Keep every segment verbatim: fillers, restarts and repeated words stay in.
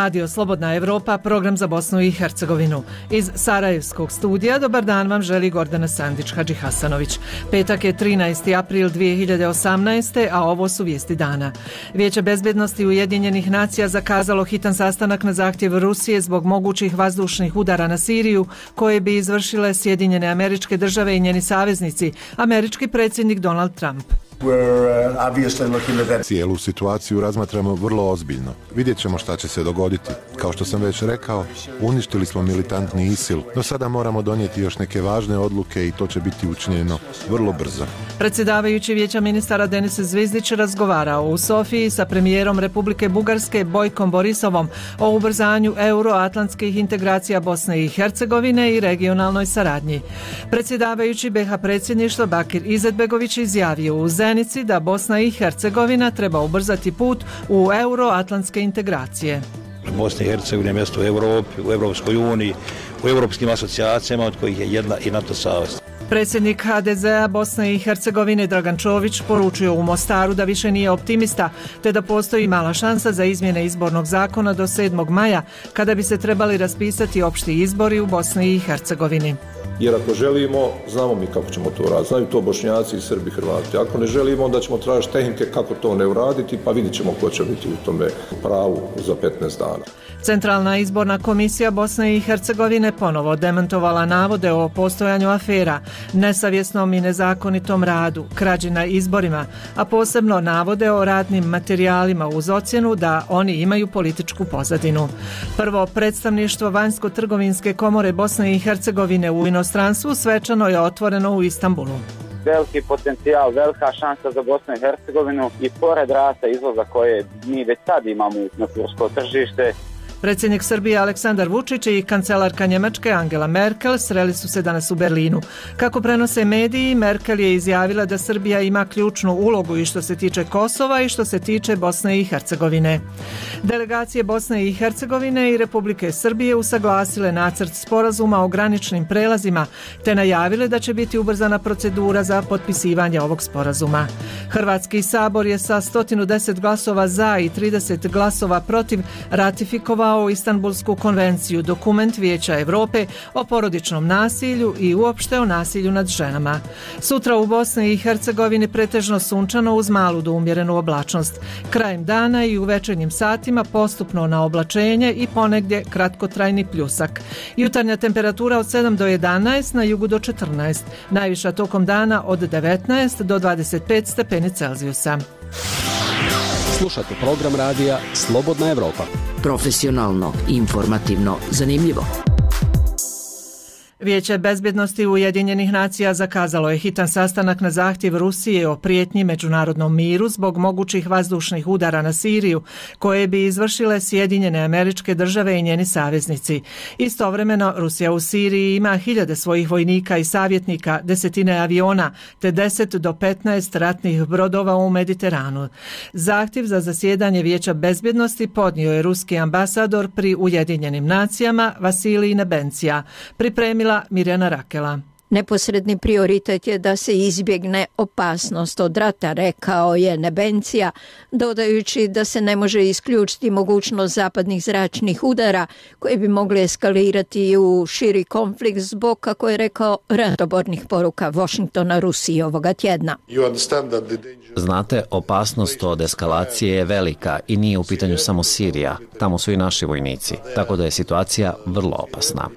Radio Slobodna Evropa, program za Bosnu i Hercegovinu. Iz Sarajevskog studija dobar dan vam želi Gordana Sandić-Hadžihasanović. Petak je trinaesti april dvije hiljade osamnaeste. a ovo su vijesti dana. Vijeće bezbednosti Ujedinjenih nacija zakazalo hitan sastanak na zahtjev Rusije zbog mogućih vazdušnih udara na Siriju koje bi izvršile Sjedinjene Američke Države i njeni saveznici, američki predsjednik Donald Trump. Cijelu situaciju razmatramo vrlo ozbiljno. Vidjet ćemo šta će se dogoditi. Kao što sam već rekao, uništili smo militantni ISIL, no sada moramo donijeti još neke važne odluke i to će biti učinjeno vrlo brzo. Predsjedavajući Vijeća ministara Denis Zvizdić razgovarao u Sofiji sa premijerom Republike Bugarske Bojkom Borisovom o ubrzanju euroatlantskih integracija Bosne i Hercegovine i regionalnoj saradnji. Predsjedavajući B iH predsjedništva Bakir Izetbegović izjavio u Zenici da Bosna i Hercegovina treba ubrzati put u euroatlantske integracije. Bosna i Hercegovina je mjesto u Europi, u Europskoj uniji, u europskim asocijacijama od kojih je jedna i NATO savez. Predsjednik H D Z-a Bosne i Hercegovine Dragan Čović poručio u Mostaru da više nije optimista, te da postoji mala šansa za izmjene izbornog zakona do sedmog maja, kada bi se trebali raspisati opšti izbori u Bosni i Hercegovini. Jer ako želimo, znamo mi kako ćemo to raditi. Znaju to Bošnjaci i Srbi, Hrvati. Ako ne želimo, onda ćemo tražiti tehnike kako to ne uraditi, pa vidjet ćemo ko će biti u tome pravu za petnaest dana. Centralna izborna komisija Bosne i Hercegovine ponovo demantovala navode o postojanju afera, nesavjesnom i nezakonitom radu, krađi na izborima, a posebno navode o radnim materijalima uz ocjenu da oni imaju političku pozadinu. Prvo predstavništvo Vanjsko-trgovinske komore Bosne i Hercegovine u inostranstvu svečano je otvoreno u Istanbulu. Veliki potencijal, velika šansa za Bosnu i Hercegovinu i pored rasta izvoza koje mi već sad imamo na tursko tržište. Predsjednik Srbije Aleksandar Vučić i kancelarka Njemačke Angela Merkel sreli su se danas u Berlinu. Kako prenose mediji, Merkel je izjavila da Srbija ima ključnu ulogu i što se tiče Kosova i što se tiče Bosne i Hercegovine. Delegacije Bosne i Hercegovine i Republike Srbije usaglasile nacrt sporazuma o graničnim prelazima, te najavile da će biti ubrzana procedura za potpisivanje ovog sporazuma. Hrvatski sabor je sa sto deset glasova za i trideset glasova protiv ratifikovao o Istanbulsku konvenciju, dokument Vijeća Europe o porodičnom nasilju i uopšte o nasilju nad ženama. Sutra u Bosni i Hercegovini pretežno sunčano uz malu do umjerenu oblačnost. Krajem dana i u večernjim satima postupno na oblačenje i ponegdje kratkotrajni pljusak. Jutarnja temperatura od sedam do jedanaest, na jugu do četrnaest. Najviša tokom dana od devetnaest do dvadeset pet stepeni Celzijusa. Slušate program radija Slobodna Evropa. Profesionalno, informativno, zanimljivo. Vijeće bezbjednosti Ujedinjenih nacija zakazalo je hitan sastanak na zahtjev Rusije o prijetnji međunarodnom miru zbog mogućih vazdušnih udara na Siriju koje bi izvršile Sjedinjene Američke Države i njeni saveznici. Istovremeno Rusija u Siriji ima hiljade svojih vojnika i savjetnika, desetine aviona te deset do petnaest ratnih brodova u Mediteranu. Zahtjev za zasjedanje Vijeća bezbjednosti podnio je ruski ambasador pri Ujedinjenim nacijama Vasilij Nebencija. Pripremila Mirjana Rakela. Neposredni prioritet je da se izbjegne opasnost od rata, rekao je Nebencija, dodajući da se ne može isključiti mogućnost zapadnih zračnih udara koji bi mogli eskalirati u širi konflikt zbog, kako je rekao, ratobornih poruka Washingtona Rusiji ovoga tjedna. Znate, opasnost od eskalacije je velika i nije u pitanju samo Sirija. Tamo su i naši vojnici, tako da je situacija vrlo opasna.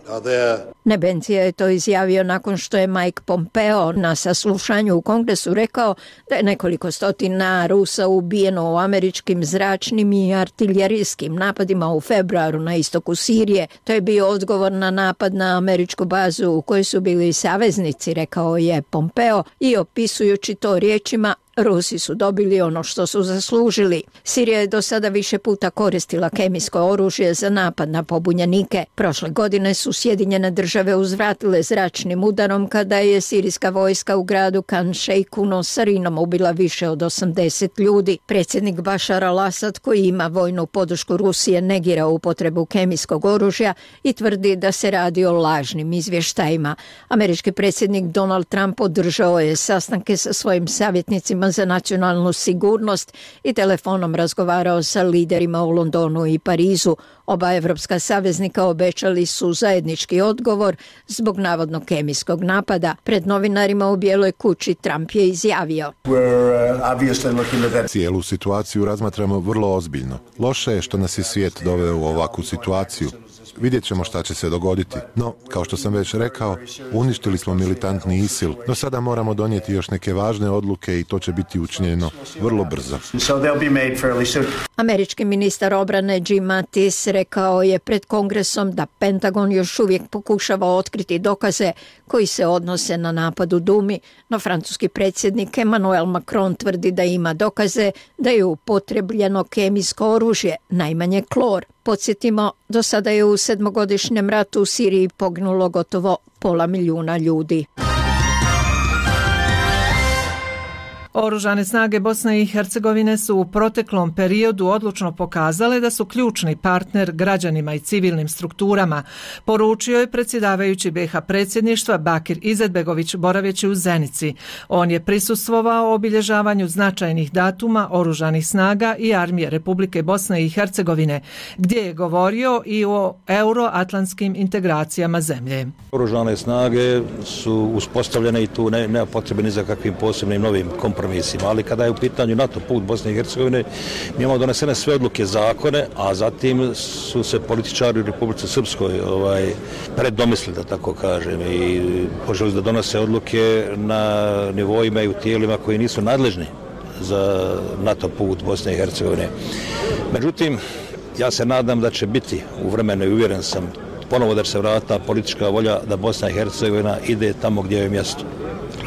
Nebencija je to izjavio nakon što je Mike Pompeo na saslušanju u Kongresu rekao da je nekoliko stotina Rusa ubijeno u američkim zračnim i artiljerijskim napadima u februaru na istoku Sirije. To je bio odgovor na napad na američku bazu u kojoj su bili saveznici, rekao je Pompeo, i opisujući to riječima: Rusi su dobili ono što su zaslužili. Sirija je do sada više puta koristila kemijsko oružje za napad na pobunjenike. Prošle godine su Sjedinjene države uzvratile zračnim udarom kada je sirijska vojska u gradu Kan Šejkuno sarinom ubila više od osamdeset ljudi. Predsjednik Bašar al-Asad, koji ima vojnu podršku Rusije, negira upotrebu kemijskog oružja i tvrdi da se radi o lažnim izvještajima. Američki predsjednik Donald Trump održao je sastanke sa svojim savjetnicima savjetima za nacionalnu sigurnost i telefonom razgovarao sa liderima u Londonu i Parizu. Oba evropska saveznika obećali su zajednički odgovor zbog navodnog kemijskog napada. Pred novinarima u Bijeloj kući Trump je izjavio: Cijelu situaciju razmatramo vrlo ozbiljno. Loše je što nas je svijet doveo u ovakvu situaciju. Vidjet ćemo šta će se dogoditi. No, kao što sam već rekao, uništili smo militantni ISIL, no sada moramo donijeti još neke važne odluke i to će biti učinjeno vrlo brzo. Američki ministar obrane Jim Mattis rekao je pred Kongresom da Pentagon još uvijek pokušava otkriti dokaze koji se odnose na napad u Dumi, no francuski predsjednik Emmanuel Macron tvrdi da ima dokaze da je upotrebljeno kemijsko oružje, najmanje klor. Podsjetimo, do sada je u sedmogodišnjem ratu u Siriji poginulo gotovo pola milijuna ljudi. Oružane snage Bosne i Hercegovine su u proteklom periodu odlučno pokazale da su ključni partner građanima i civilnim strukturama, poručio je predsjedavajući be ha predsjedništva Bakir Izetbegović boraveći u Zenici. On je prisustvovao obilježavanju značajnih datuma oružanih snaga i armije Republike Bosne i Hercegovine, gdje je govorio i o euroatlantskim integracijama zemlje. Oružane snage su uspostavljene i tu ne, nema potrebe ni za kakvim posebnim novim kompromisima. Ali kada je u pitanju NATO put Bosne i Hercegovine, mi imamo donesene sve odluke, zakone, a zatim su se političari u Republici Srpskoj ovaj, predomislili, da tako kažem, i poželi da donose odluke na nivoima i u tijelima koji nisu nadležni za NATO put Bosne i Hercegovine. Međutim, ja se nadam da će biti u vremenu i uvjeren sam ponovo da će se vratiti politička volja da Bosna i Hercegovina ide tamo gdje je mjesto.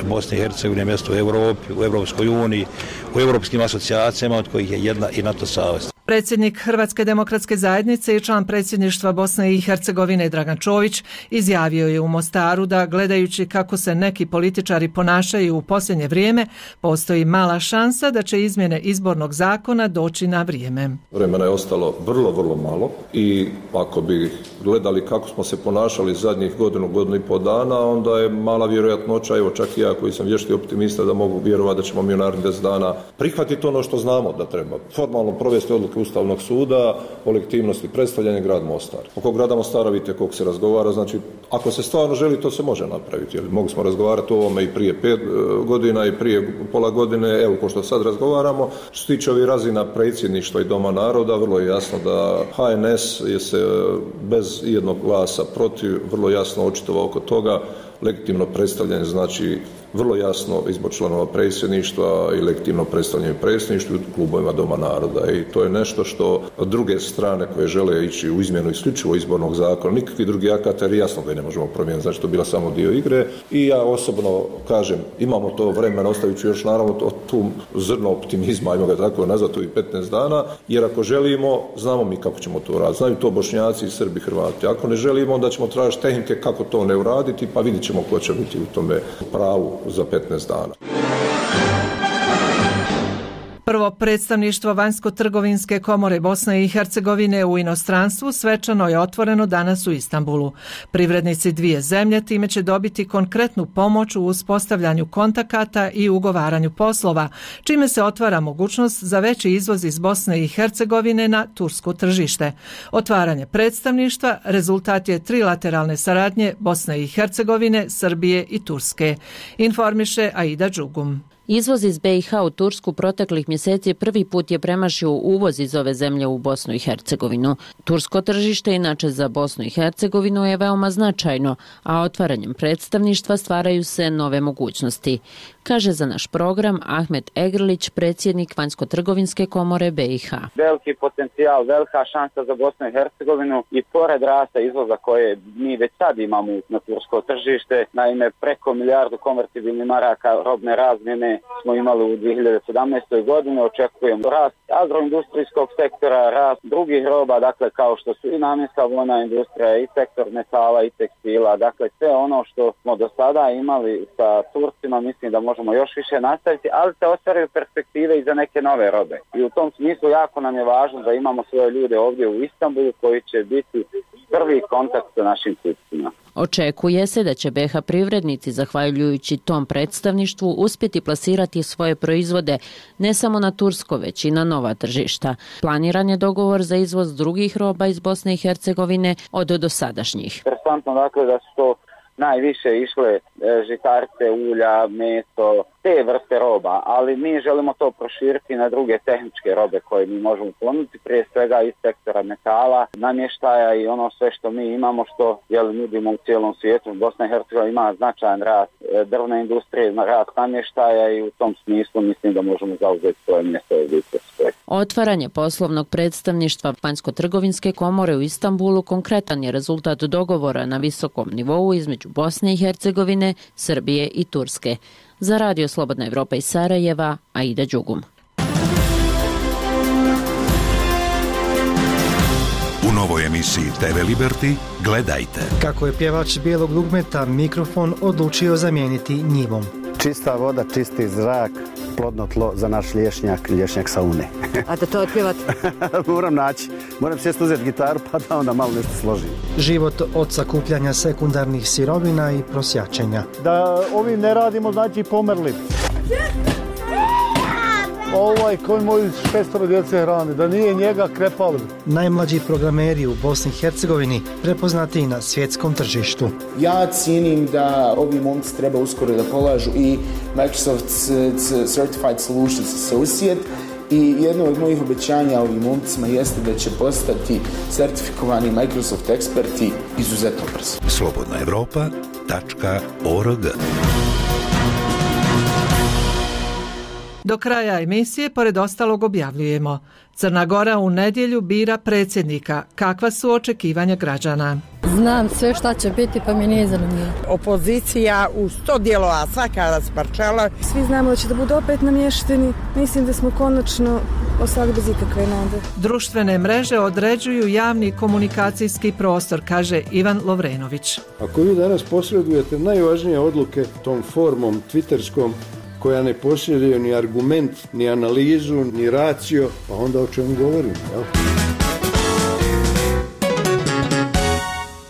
Bosna i Hercegovina je mjesto u Europi, u Europskoj uniji, u europskim asocijacijama, od kojih je jedna i NATO savez. Predsjednik Hrvatske demokratske zajednice i član predsjedništva Bosne i Hercegovine Dragan Čović izjavio je u Mostaru da gledajući kako se neki političari ponašaju u posljednje vrijeme, postoji mala šansa da će izmjene izbornog zakona doći na vrijeme. Vremena je ostalo vrlo, vrlo malo i ako bi gledali kako smo se ponašali zadnjih godinu, godinu i pol dana, onda je mala vjerojatnoća, evo čak i ja koji sam vješti optimista da mogu vjerovati da ćemo mi u narednih deset dana prihvatiti ono što znamo da treba. Formalno provesti odluku Ustavnog suda o legitimnosti predstavljanja grad Mostar. Oko grada Mostara vidite koliko se razgovara, znači ako se stvarno želi to se može napraviti. Jer mogli smo razgovarati o ovome i prije pet godina i prije pola godine, evo ko što sad razgovaramo. Što se tiče ovih razina predsjedništva i Doma naroda, vrlo je jasno da ha en es je se bez jednog glasa protiv vrlo jasno očitovao oko toga. Legitimno predstavljanje znači vrlo jasno izbor članova predsjedništva i legitimno predstavljanje predsjedništva u klubovima Doma naroda. I to je nešto što druge strane koje žele ići u izmjenu isključivo izbornog zakona, nikakvi drugi akata, jer jasno ga ne možemo promijeniti, znači to je bila samo dio igre. I ja osobno kažem, imamo to vremena, ostavit ću još naravno to, tu zrno optimizma, ajmo ga tako nazvati, ovih petnaest dana, jer ako želimo, znamo mi kako ćemo to raditi. Znaju to Bošnjaci, Srbi, Hrvati. Ako ne želimo, onda ćemo tražiti tehnike kako to ne uraditi, pa vidjet ćemo ko će biti u tome pravu za petnaest dana. Prvo predstavništvo Vanjsko-trgovinske komore Bosne i Hercegovine u inostranstvu svečano je otvoreno danas u Istanbulu. Privrednici dvije zemlje time će dobiti konkretnu pomoć u uspostavljanju kontakata i ugovaranju poslova, čime se otvara mogućnost za veći izvoz iz Bosne i Hercegovine na tursko tržište. Otvaranje predstavništva rezultat je trilateralne saradnje Bosne i Hercegovine, Srbije i Turske, informiše Aida Đugum. Izvoz iz be i ha u Tursku proteklih mjeseci prvi put je premašio uvoz iz ove zemlje u Bosnu i Hercegovinu. Tursko tržište inače za Bosnu i Hercegovinu je veoma značajno, a otvaranjem predstavništva stvaraju se nove mogućnosti, kaže za naš program Ahmet Egrlić, predsjednik Vanjsko-trgovinske komore be i ha. Veliki potencijal, velika šansa za Bosnu i Hercegovinu i pored rasta izvoza koje mi već sad imamo na tursko tržište, naime preko milijardu konvertibilnih maraka robne razmjene smo imali u dvije hiljade sedamnaestoj godini, očekujemo rast agroindustrijskog sektora, rast drugih roba, dakle kao što su i namjenska vojna industrija, i sektor metala i tekstila, dakle sve ono što smo do sada imali sa Turcima, mislim da možemo još više nastaviti, ali se ostvaraju perspektive i za neke nove robe. I u tom smislu jako nam je važno da imamo svoje ljude ovdje u Istanbulu koji će biti prvi kontakt sa našim kupcima. Očekuje se da će B iH privrednici, zahvaljujući tom predstavništvu, uspjeti plasirati svoje proizvode ne samo na tursko, već i na nova tržišta. Planiran je dogovor za izvoz drugih roba iz Bosne i Hercegovine od dosadašnjih. Interesantno dakle da su to najviše išle žitarice, ulja, meso, te vrste roba, ali mi želimo to proširiti na druge tehničke robe koje mi možemo ponuditi, prije svega iz sektora metala, namještaja i ono sve što mi imamo, što jel, nudimo u cijelom svijetu. Bosna i Hercegovina ima značajan rast drvne industrije, rast namještaja i u tom smislu mislim da možemo zauzeti svoje mjesto u Turskoj. Otvaranje poslovnog predstavništva Vanjsko-trgovinske komore u Istanbulu konkretan je rezultat dogovora na visokom nivou između Bosne i Hercegovine, Srbije i Turske. Za Radio Slobodna Evropa iz Sarajeva, Aida Đugum. U novoj emisiji T V Liberty gledajte kako je pjevač bijelog dugmeta mikrofon odlučio zamijeniti njivom. Čista voda, čisti zrak, plodno tlo za naš lješnjak, lješnjak saune. A da to otpjevati? Moram naći. Moram sjest uzeti gitaru pa da onda malo nešto složim. Život od sakupljanja sekundarnih sirovina i prosjačenja. Da ovi ne radimo, znači pomerli. Ovaj koji moji šestoro djece hrane, da nije njega krepali. Najmlađi programeri u Bosni i Hercegovini prepoznati na svjetskom tržištu. Ja cijenim da ovi momci treba uskoro da polažu i Microsoft Certified Solutions Associate i jedno od mojih obećanja ovim momcima jeste da će postati certifikovani Microsoft eksperti izuzetno brzo. slobodna evropa tačka org. Do kraja emisije, pored ostalog, objavljujemo: Crna Gora u nedjelju bira predsjednika. Kakva su očekivanja građana? Znam sve šta će biti, pa mi nije zanimljivo. Opozicija u sto dijelova, svaka rasparčala. Svi znamo da će da budu opet namješteni. Mislim da smo konačno ostali bez ikakve nade. Društvene mreže određuju javni komunikacijski prostor, kaže Ivan Lovrenović. Ako vi danas posredujete najvažnije odluke tom formom twitterskom, koja ne posjeduje ni argument, ni analizu, ni racio, pa onda o čemu govorim, jel?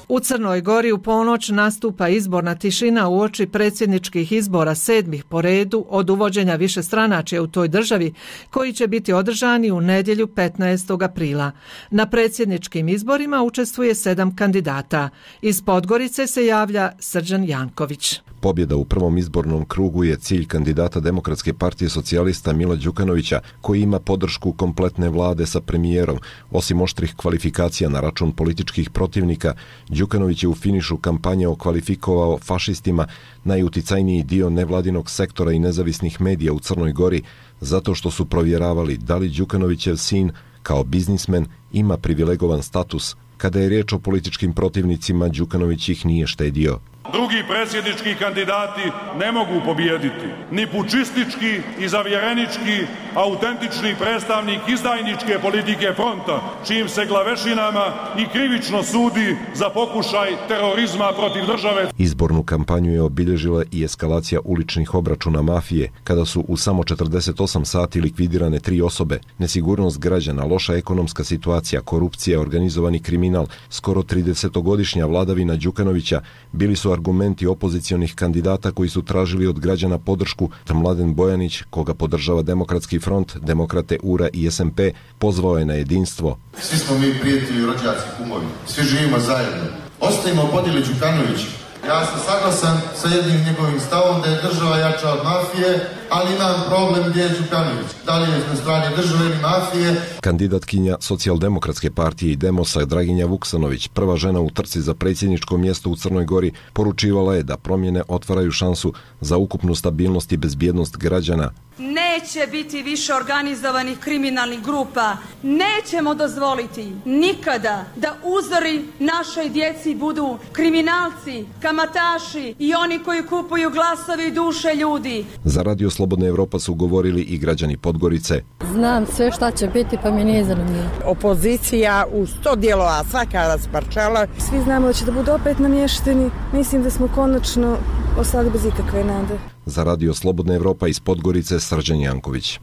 U Crnoj Gori u ponoć nastupa izborna tišina uoči predsjedničkih izbora sedmih po redu od uvođenja višestranačja u toj državi, koji će biti održani u nedjelju petnaestog aprila. Na predsjedničkim izborima učestvuje sedam kandidata. Iz Podgorice se javlja Srđan Janković. Pobjeda u prvom izbornom krugu je cilj kandidata Demokratske partije socijalista Mila Đukanovića, koji ima podršku kompletne vlade sa premijerom. Osim oštrih kvalifikacija na račun političkih protivnika, Đukanović je u finišu kampanje okvalifikovao fašistima najuticajniji dio nevladinog sektora i nezavisnih medija u Crnoj Gori, zato što su provjeravali da li Đukanovićev sin, kao biznismen, ima privilegovan status. Kada je riječ o političkim protivnicima, Đukanović ih nije štedio. Drugi predsjednički kandidati ne mogu pobijediti. Ni pučistički i zavjerenički, autentični predstavnik izdajničke politike fronta, čijim se glavešinama i krivično sudi za pokušaj terorizma protiv države. Izbornu kampanju je obilježila i eskalacija uličnih obračuna mafije, kada su u samo četrdeset osam sati likvidirane tri osobe. Nesigurnost građana, loša ekonomska situacija, korupcija, organizovani kriminal, skoro tridesetogodišnja vladavina Đukanovića bili su argumenti opozicionih kandidata koji su tražili od građana podršku. Mladen Bojanić, koga podržava Demokratski front, Demokrate, U R A i S M P, pozvao je na jedinstvo. Svi smo mi prijatelji, rođaci, kumovi. Svi živimo zajedno. Ostavimo podijeli Đukanović. Ja sam saglasan sa jednim njegovim stavom da je država jača od mafije, ali imam problem gdje je Đukanović. Da li je na strani države ili mafije? Kandidatkinja Socijaldemokratske partije i Demosa Draginja Vuksanović, prva žena u trci za predsjedničko mjesto u Crnoj Gori, poručivala je da promjene otvaraju šansu za ukupnu stabilnost i bezbjednost građana. Neće biti više organizovanih kriminalnih grupa. Nećemo dozvoliti nikada da uzori našoj djeci budu kriminalci, kamataši i oni koji kupuju glasove i duše ljudi. Za Radio Slobodna Evropa su govorili i građani Podgorice. Znam sve šta će biti, pa mi nije zanimljivo. Opozicija u sto dijelova, svaka rasparčala. Svi znamo da će da budu opet namješteni. Mislim da smo konačno ostali bez ikakve nade. Za Radio Slobodna Evropa iz Podgorice, Srđan Janković.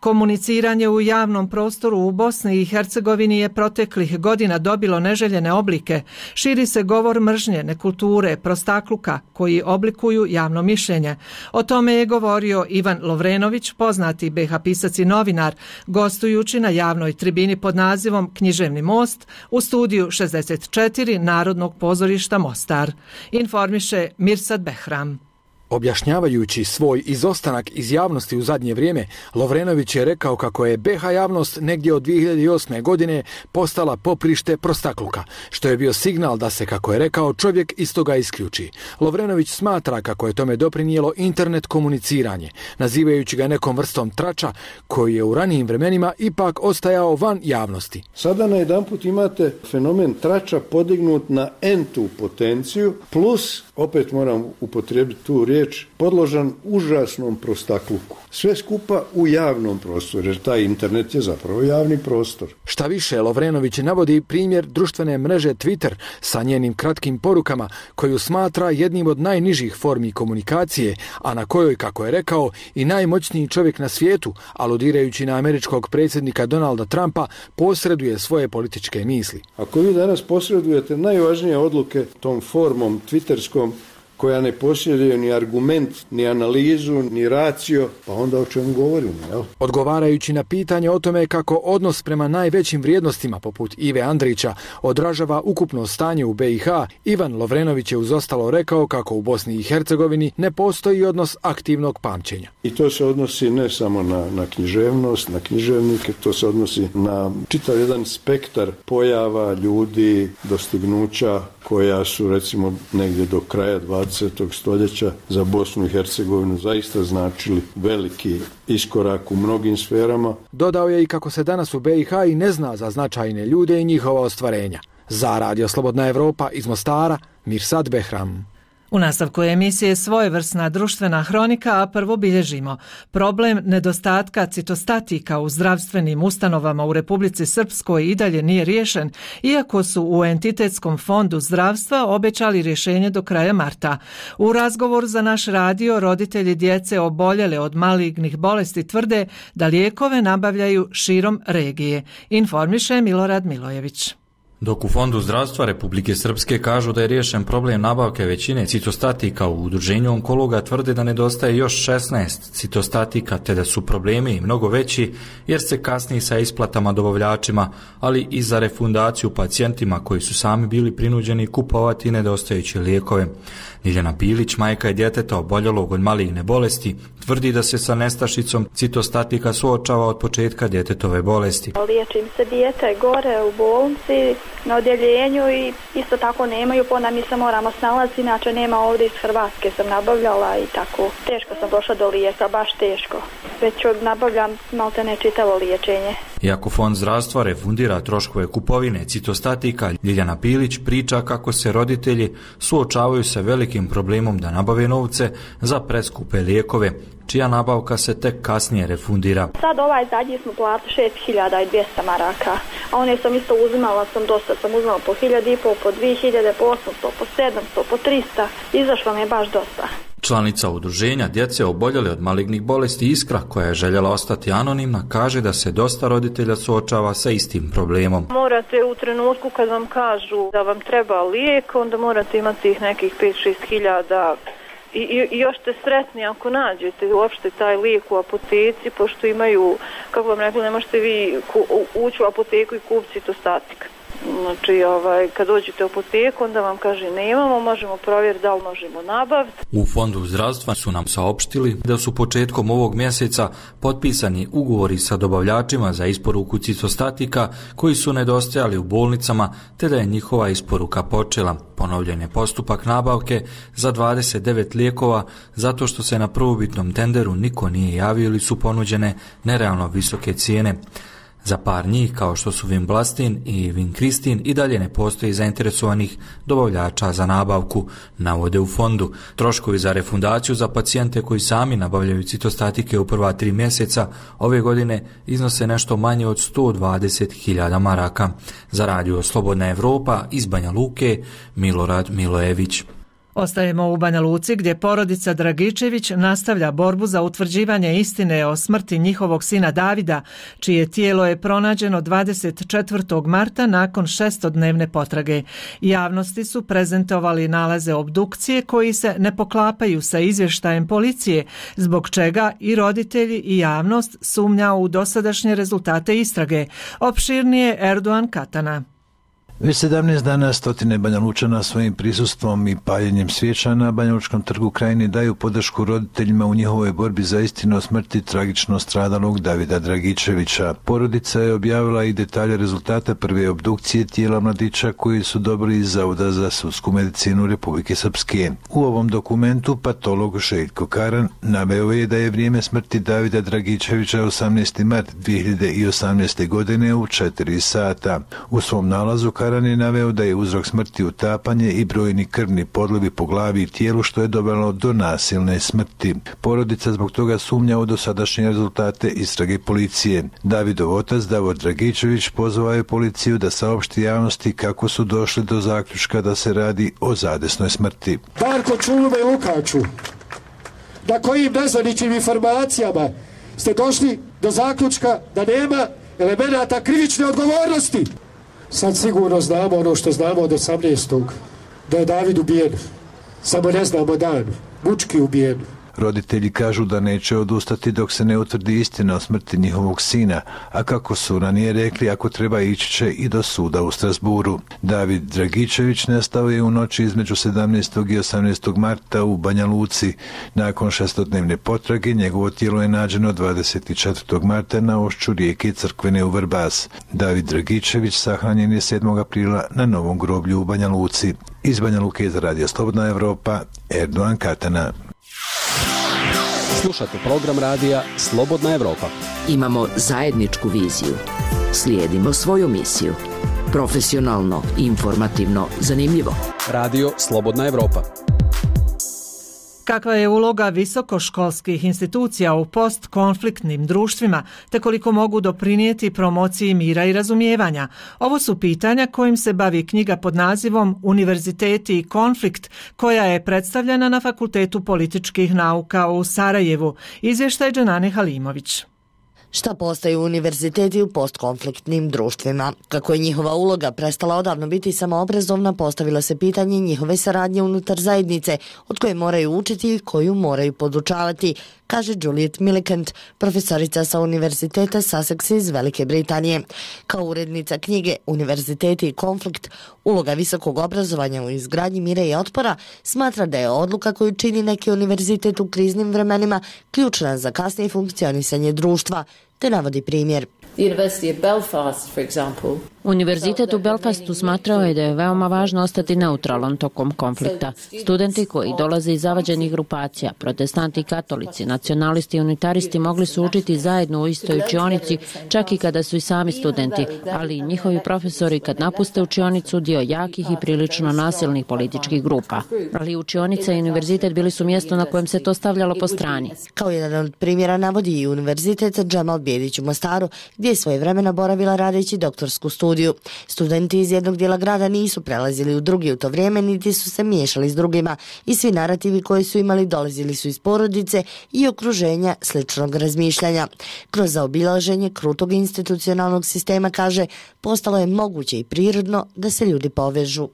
Komuniciranje u javnom prostoru u Bosni i Hercegovini je proteklih godina dobilo neželjene oblike. Širi se govor mržnje, nekulture, prostakluka koji oblikuju javno mišljenje. O tome je govorio Ivan Lovrenović, poznati be ha pisac i novinar, gostujući na javnoj tribini pod nazivom Književni most u studiju šezdeset četiri Narodnog pozorišta Mostar. Informiše Mirsad Behram. Objašnjavajući svoj izostanak iz javnosti u zadnje vrijeme, Lovrenović je rekao kako je be ha javnost negdje od dvije hiljade osme. godine postala poprište prostakluka, što je bio signal da se, kako je rekao, čovjek iz toga isključi. Lovrenović smatra kako je tome doprinijelo internet komuniciranje, nazivajući ga nekom vrstom trača koji je u ranijim vremenima ipak ostajao van javnosti. Sada na jedan put imate fenomen trača podignut na entu potenciju, plus, opet moram upotrijebiti tu riječ, podložan užasnom prostakluku. Sve skupa u javnom prostoru, jer taj internet je zapravo javni prostor. Šta više, Lovrenović navodi primjer društvene mreže Twitter sa njenim kratkim porukama, koju smatra jednim od najnižih formi komunikacije, a na kojoj, kako je rekao, i najmoćniji čovjek na svijetu, aludirajući na američkog predsjednika Donalda Trumpa, posreduje svoje političke misli. Ako vi danas posredujete najvažnije odluke tom formom twitterskom, koja ne posjeduje ni argument, ni analizu, ni racio, pa onda o čemu govorimo, jel? Odgovarajući na pitanje o tome kako odnos prema najvećim vrijednostima poput Ive Andrića odražava ukupno stanje u be i ha, Ivan Lovrenović je uz ostalo rekao kako u Bosni i Hercegovini ne postoji odnos aktivnog pamćenja. I to se odnosi ne samo na, na književnost, na književnike, to se odnosi na čitav jedan spektar pojava, ljudi, dostignuća koja su recimo negdje do kraja dvadesetog stoljeća za Bosnu i Hercegovinu zaista značili veliki iskorak u mnogim sferama. Dodao je i kako se danas u be i ha i ne zna za značajne ljude i njihova ostvarenja. Za Radio Slobodna Evropa iz Mostara, Mirsad Behram. U nastavku emisije svojevrsna društvena hronika, a prvo bilježimo problem nedostatka citostatika u zdravstvenim ustanovama u Republici Srpskoj i dalje nije riješen, iako su u Entitetskom fondu zdravstva obećali rješenje do kraja marta. U razgovoru za naš radio roditelji djece oboljele od malignih bolesti tvrde da lijekove nabavljaju širom regije. Informiše Milorad Milojević. Dok u Fondu zdravstva Republike Srpske kažu da je riješen problem nabavke većine citostatika, u udruženju onkologa tvrde da nedostaje još šesnaest citostatika, te da su problemi i mnogo veći jer se kasni sa isplatama dobavljačima, ali i za refundaciju pacijentima koji su sami bili prinuđeni kupovati nedostajuće lijekove. Ljiljana Pilić, majka je djeteta oboljelog od maligne bolesti, tvrdi da se sa nestašicom citostatika suočava od početka djetetove bolesti. Liječim se dijete gore u bolnici, na odjeljenju i isto tako nemaju, pa onda mi se moramo snalaziti, inače nema ovdje iz Hrvatske sam nabavljala i tako. Teško sam došla do lijeka, baš teško. Već nabavljam malte ne čitavo liječenje. Iako Fond zdravstva refundira troškove kupovine citostatika, Ljiljana Pilić priča kako se roditelji suočavaju sa velikim problemom da nabave novce za preskupe lijekove, čija nabavka se tek kasnije refundira. Sad ovaj zadnji smo platili šest hiljada dvjesto maraka, a one sam isto uzimala, sam dosta, sam uzimala po hiljadu i pol, po dvije hiljade, po osamsto, po sedamsto, po trista, izašlo mi je baš dosta. Članica udruženja djece oboljele od malignih bolesti Iskra, koja je željela ostati anonimna, kaže da se dosta roditelja suočava sa istim problemom. Morate u trenutku kad vam kažu da vam treba lijek, onda morate imati ih nekih pet do šest hiljada. I, i, I još ste sretni ako nađete uopšte taj lijek u apoteci, pošto imaju, kako vam rekli, ne možete vi ku, ući u apoteku i kupiti citostatik. Znači, ovaj, kad dođete u apoteku, onda vam kaže nemamo, možemo provjeriti da li možemo nabaviti. U Fondu zdravstva su nam saopštili da su početkom ovog mjeseca potpisani ugovori sa dobavljačima za isporuku citostatika koji su nedostajali u bolnicama, te da je njihova isporuka počela. Ponovljen je postupak nabavke za dvadeset devet lijekova zato što se na prvobitnom tenderu niko nije javio ili su ponuđene nerealno visoke cijene. Za par njih, kao što su Vimblastin i Vinkristin, i dalje ne postoji zainteresovanih dobavljača za nabavku, navode u fondu. Troškovi za refundaciju za pacijente koji sami nabavljaju citostatike u prva tri mjeseca ove godine iznose nešto manje od sto dvadeset hiljada maraka. Za Radio Slobodna Evropa iz Banja Luke, Milorad Milojević. Ostajemo u Banja Luci gdje porodica Dragičević nastavlja borbu za utvrđivanje istine o smrti njihovog sina Davida, čije tijelo je pronađeno dvadeset četvrtog marta nakon šestodnevne potrage. Javnosti su prezentovali nalaze obdukcije koji se ne poklapaju sa izvještajem policije, zbog čega i roditelji i javnost sumnja u dosadašnje rezultate istrage. Opširnije Erdogan Katana. Već sedamnaest dana stotine Banja Lučana svojim prisustvom i paljenjem svijeća na Banja Lučkom trgu Krajine daju podršku roditeljima u njihovoj borbi za istinu o smrti tragično stradalog Davida Dragičevića. Porodica je objavila i detalje rezultata prve obdukcije tijela mladića koji su dobili iz Zavoda za sudsku medicinu Republike Srpske. U ovom dokumentu patolog Željko Karan naveo je da je vrijeme smrti Davida Dragičevića osamnaesti mart dvije hiljade osamnaeste. godine u četiri sata. U svom nalazu Karan je naveo da je uzrok smrti utapanje i brojni krvni podlivi po glavi i tijelu što je dovelo do nasilne smrti. Porodica zbog toga sumnja u dosadašnje rezultate istrage policije. Davidov otac Davor Dragičević pozvao je policiju da saopšti javnosti kako su došli do zaključka da se radi o zadesnoj smrti. Darko Čulume i Lukaču, na kojim nezvaničnim informacijama ste došli do zaključka da nema elemenata krivične odgovornosti? Sad sigurno znamo ono što znamo od osamnaestog da je David ubijen. Samo ne znamo dan. Mučki ubijen. Roditelji kažu da neće odustati dok se ne utvrdi istina o smrti njihovog sina, a kako su ranije rekli, ako treba ići će i do suda u Strasburu. David Dragičević nestao je u noći između sedamnaestog i osamnaestog marta u Banja Luci. Nakon šestodnevne potrage njegovo tijelo je nađeno dvadeset četvrtog marta na ušću rijeke Crkvene u Vrbas. David Dragičević sahranjen je sedmog aprila na novom groblju u Banja Luci. Iz Banja Luke za Radio Slobodna Evropa, Erdogan Katana. Slušate program radija Slobodna Evropa. Imamo zajedničku viziju. Slijedimo svoju misiju. Profesionalno, informativno, zanimljivo. Radio Slobodna Evropa. Kakva je uloga visokoškolskih institucija u postkonfliktnim društvima, te koliko mogu doprinijeti promociji mira i razumijevanja? Ovo su pitanja kojim se bavi knjiga pod nazivom Univerziteti i konflikt, koja je predstavljena na Fakultetu političkih nauka u Sarajevu. Izvještaj Dženane Halimović. Šta postaju univerziteti u postkonfliktnim društvima? Kako je njihova uloga prestala odavno biti samoobrazovna, postavilo se pitanje njihove saradnje unutar zajednice, od koje moraju učiti i koju moraju podučavati, kaže Juliet Millicent, profesorica sa Univerziteta Sussex iz Velike Britanije. Kao urednica knjige Univerziteti i konflikt, uloga visokog obrazovanja u izgradnji mira i otpora, smatra da je odluka koju čini neki univerzitet u kriznim vremenima ključna za kasnije funkcionisanje društva, te navodi primjer. Univerzitet u Belfastu smatrao je da je veoma važno ostati neutralan tokom konflikta. Studenti koji dolaze iz zavađenih grupacija, protestanti i katolici, nacionalisti i unitaristi mogli su učiti zajedno u istoj učionici, čak i kada su i sami studenti, ali i njihovi profesori kad napuste učionicu dio jakih i prilično nasilnih političkih grupa. Ali učionica i univerzitet bili su mjesto na kojem se to stavljalo po strani. Kao jedan od primjera navodi i Univerzitet Džemal Bijedić u Mostaru, gdje je svoje vremena boravila radeći doktorsku studiju. Studenti iz jednog dijela grada nisu prelazili u drugi u to vrijeme, niti su se miješali s drugima i svi narativi koji su imali dolazili su iz porodice i okruženja sličnog razmišljanja. Kroz zaobilaženje krutog institucionalnog sistema, kaže, postalo je moguće i prirodno da se ljudi povežu.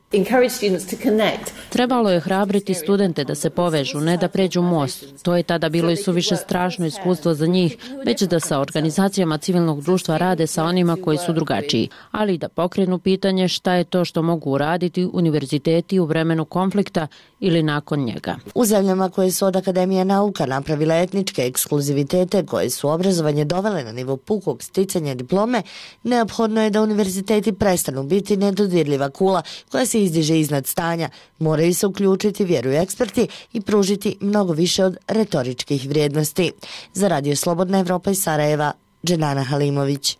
Trebalo je hrabriti studente da se povežu, ne da pređu most. To je tada bilo i suviše strašno iskustvo za njih, već da sa organizacijama civilnog društva rade sa onima koji su drugačiji, ali da pokrenu pitanje šta je to što mogu uraditi univerziteti u vremenu konflikta ili nakon njega. U zemljama koje su od Akademije nauka napravile etničke ekskluzivitete koje su obrazovanje dovele na nivo pukog sticanja diplome, neophodno je da univerziteti prestanu biti nedodirljiva kula koja se izdiže iznad stanja. Moraju se uključiti, vjeruju eksperti, i pružiti mnogo više od retoričkih vrijednosti. Za Radio Slobodna Evropa iz Sarajeva, Dženana Halimović.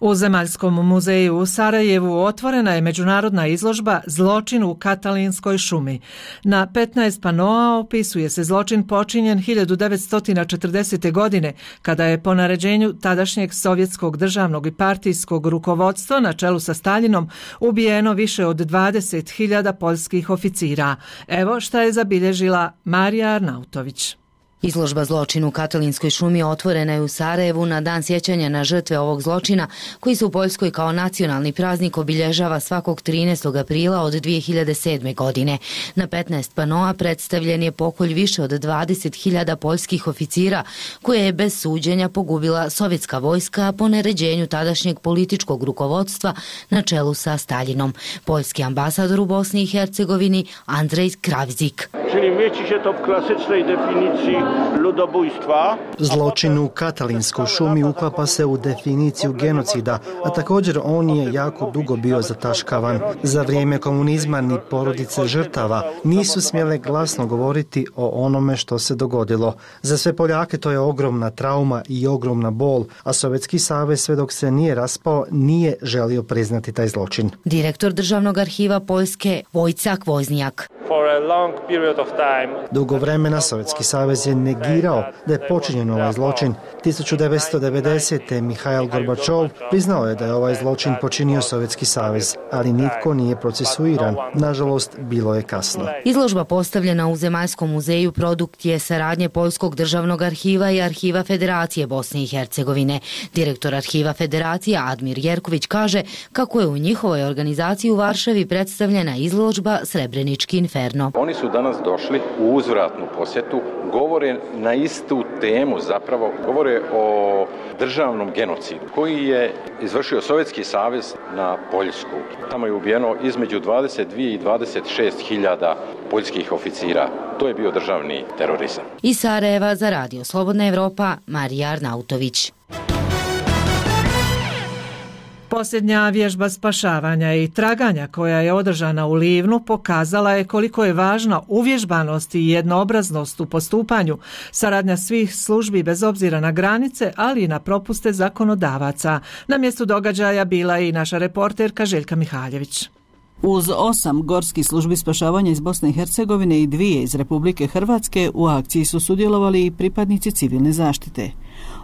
U Zemaljskom muzeju u Sarajevu otvorena je međunarodna izložba Zločin u Katalinskoj šumi. Na petnaest panoa opisuje se zločin počinjen hiljadu devetsto četrdesete. godine, kada je po naređenju tadašnjeg sovjetskog državnog i partijskog rukovodstva na čelu sa Staljinom ubijeno više od dvadeset hiljada poljskih oficira. Evo šta je zabilježila Marija Arnautović. Izložba Zločin u Katalinskoj šumi otvorena je u Sarajevu na dan sjećanja na žrtve ovog zločina, koji se u Poljskoj kao nacionalni praznik obilježava svakog trinaestog aprila od dvije hiljade sedme. godine. Na petnaest panoa predstavljen je pokolj više od dvadeset hiljada poljskih oficira, koje je bez suđenja pogubila sovjetska vojska po naređenju tadašnjeg političkog rukovodstva na čelu sa Staljinom. Poljski ambasador u Bosni i Hercegovini Andrej Kravzik. Czyli mieści się to w klasycznej definicji ludobójstwa. Zločin u Katalinskoj šumi uklapa se u definiciju genocida, a također on je jako dugo bio zataškavan. Za vrijeme komunizma ni porodice žrtava nisu smjele glasno govoriti o onome što se dogodilo. Za sve Poljake to je ogromna trauma i ogromna bol, a Sovjetski savez sve dok se nije raspao nije želio priznati taj zločin. Direktor Državnog arhiva Poljske Vojcak Voznjak. Dugo vremena Sovjetski savez je negirao da je počinjen ovaj zločin. tisuću devetsto devedesete. Mihail Gorbačov priznao je da je ovaj zločin počinio Sovjetski savez, ali nitko nije procesuiran. Nažalost, bilo je kasno. Izložba postavljena u Zemaljskom muzeju produkt je saradnje Poljskog državnog arhiva i Arhiva Federacije Bosne i Hercegovine. Direktor Arhiva Federacije Admir Jerković kaže kako je u njihovoj organizaciji u Varšavi predstavljena izložba Srebrenički inferno. Oni su danas došli u uzvratnu posjetu, govore na istu temu, zapravo govore o državnom genocidu koji je izvršio Sovjetski savez na Poljsku. Tamo je ubijeno između dvadeset dvije i dvadeset šest hiljada poljskih oficira. To je bio državni terorizam. Iz Sarajeva za Radio Slobodna Evropa, Marija Arnautović. Posljednja vježba spašavanja i traganja koja je održana u Livnu pokazala je koliko je važna uvježbanost i jednoobraznost u postupanju, saradnja svih službi bez obzira na granice, ali i na propuste zakonodavaca. Na mjestu događaja bila je i naša reporterka Željka Mihaljević. Uz osam gorskih službi spašavanja iz Bosne i Hercegovine i dvije iz Republike Hrvatske u akciji su sudjelovali i pripadnici civilne zaštite.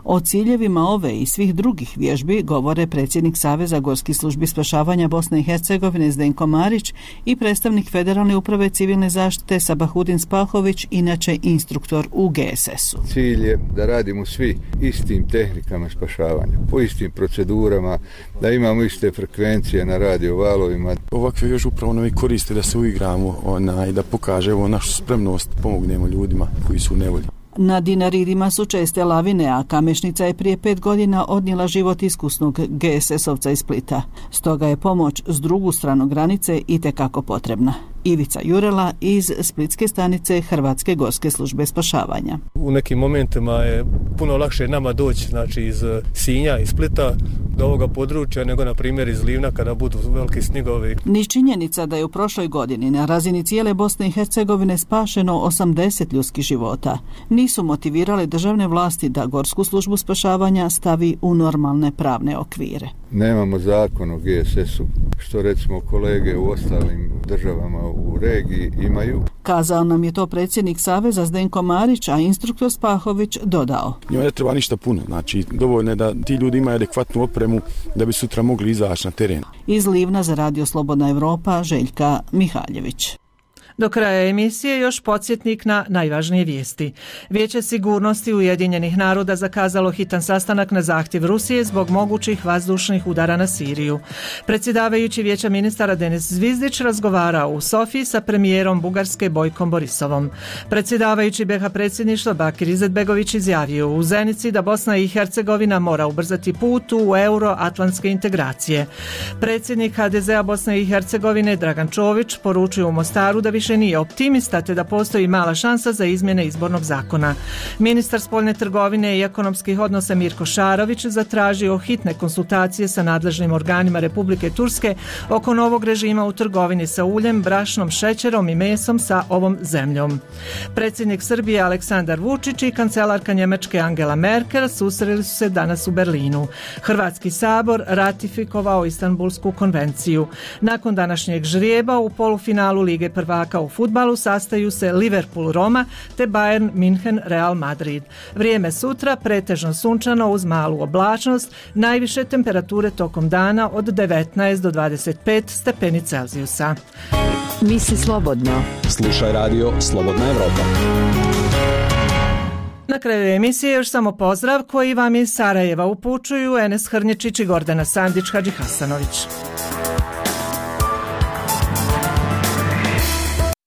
O ciljevima ove i svih drugih vježbi govore predsjednik Saveza gorskih službi spašavanja Bosne i Hercegovine Zdenko Marić i predstavnik Federalne uprave civilne zaštite Sabahudin Spahović, inače instruktor u G S S-u. Cilj je da radimo svi istim tehnikama spašavanja, po istim procedurama, da imamo iste frekvencije na radio valovima. Ovakve vježbe upravo nam i koriste da se uigramo ona, i da pokažemo našu spremnost, pomognemo ljudima koji su u nevolji. Na Dinaridima su česte lavine, a Kamešnica je prije pet godina odnijela život iskusnog G S S-ovca iz Splita. Stoga je pomoć s drugu stranu granice itekako potrebna. Ivica Jurela iz Splitske stanice Hrvatske gorske službe spašavanja. U nekim momentima je puno lakše nama doći, znači iz Sinja, iz Splita do ovoga područja nego na primjer iz Livna kada budu veliki snigovi. Ni činjenica da je u prošloj godini na razini cijele Bosne i Hercegovine spašeno osamdeset ljudskih života nisu motivirale državne vlasti da gorsku službu spašavanja stavi u normalne pravne okvire. Nemamo zakon o G S S-u, što recimo kolege u ostalim državama u regiji imaju. Kazao nam je to predsjednik Saveza Zdenko Marić, a instruktor Spahović dodao. Njima ne treba ništa puno, znači dovoljno je da ti ljudi imaju adekvatnu opremu da bi sutra mogli izaći na teren. Iz Livna za Radio Slobodna Evropa, Željka Mihaljević. Do kraja emisije još podsjetnik na najvažnije vijesti. Vijeće sigurnosti Ujedinjenih naroda zakazalo hitan sastanak na zahtjev Rusije zbog mogućih vazdušnih udara na Siriju. Predsjedavajući Vijeća ministara Denis Zvizdić razgovarao u Sofiji sa premijerom Bugarske Bojkom Borisovom. Predsjedavajući B iH predsjedništva Bakir Izetbegović izjavio u Zenici da Bosna i Hercegovina mora ubrzati put u euroatlantske integracije. Predsjednik H D Z-a Bosne i Hercegovine Dragan Čović poručio u Mostaru da više više nije optimista te da postoji mala šansa za izmjene izbornog zakona. Ministar spoljne trgovine i ekonomskih odnosa Mirko Šarović zatražio hitne konsultacije sa nadležnim organima Republike Turske oko novog režima u trgovini sa uljem, brašnom, šećerom i mesom sa ovom zemljom. Predsjednik Srbije Aleksandar Vučić i kancelarka Njemačke Angela Merkel susreli su se danas u Berlinu. Hrvatski sabor ratifikovao Istanbulsku konvenciju. Nakon današnjeg žrijeba u polufinalu Lige prvaka u fudbalu sastaju se Liverpool Roma te Bayern München Real Madrid. Vrijeme sutra pretežno sunčano uz malu oblačnost, najviše temperature tokom dana od devetnaest do dvadeset pet stepeni Celzijusa. Misli slobodno. Slušaj radio Slobodna Evropa. Na kraju emisije još samo pozdrav koji vam iz Sarajeva upućuju Enes Hrnječić i Gordana Sandić Hadži Hasanović.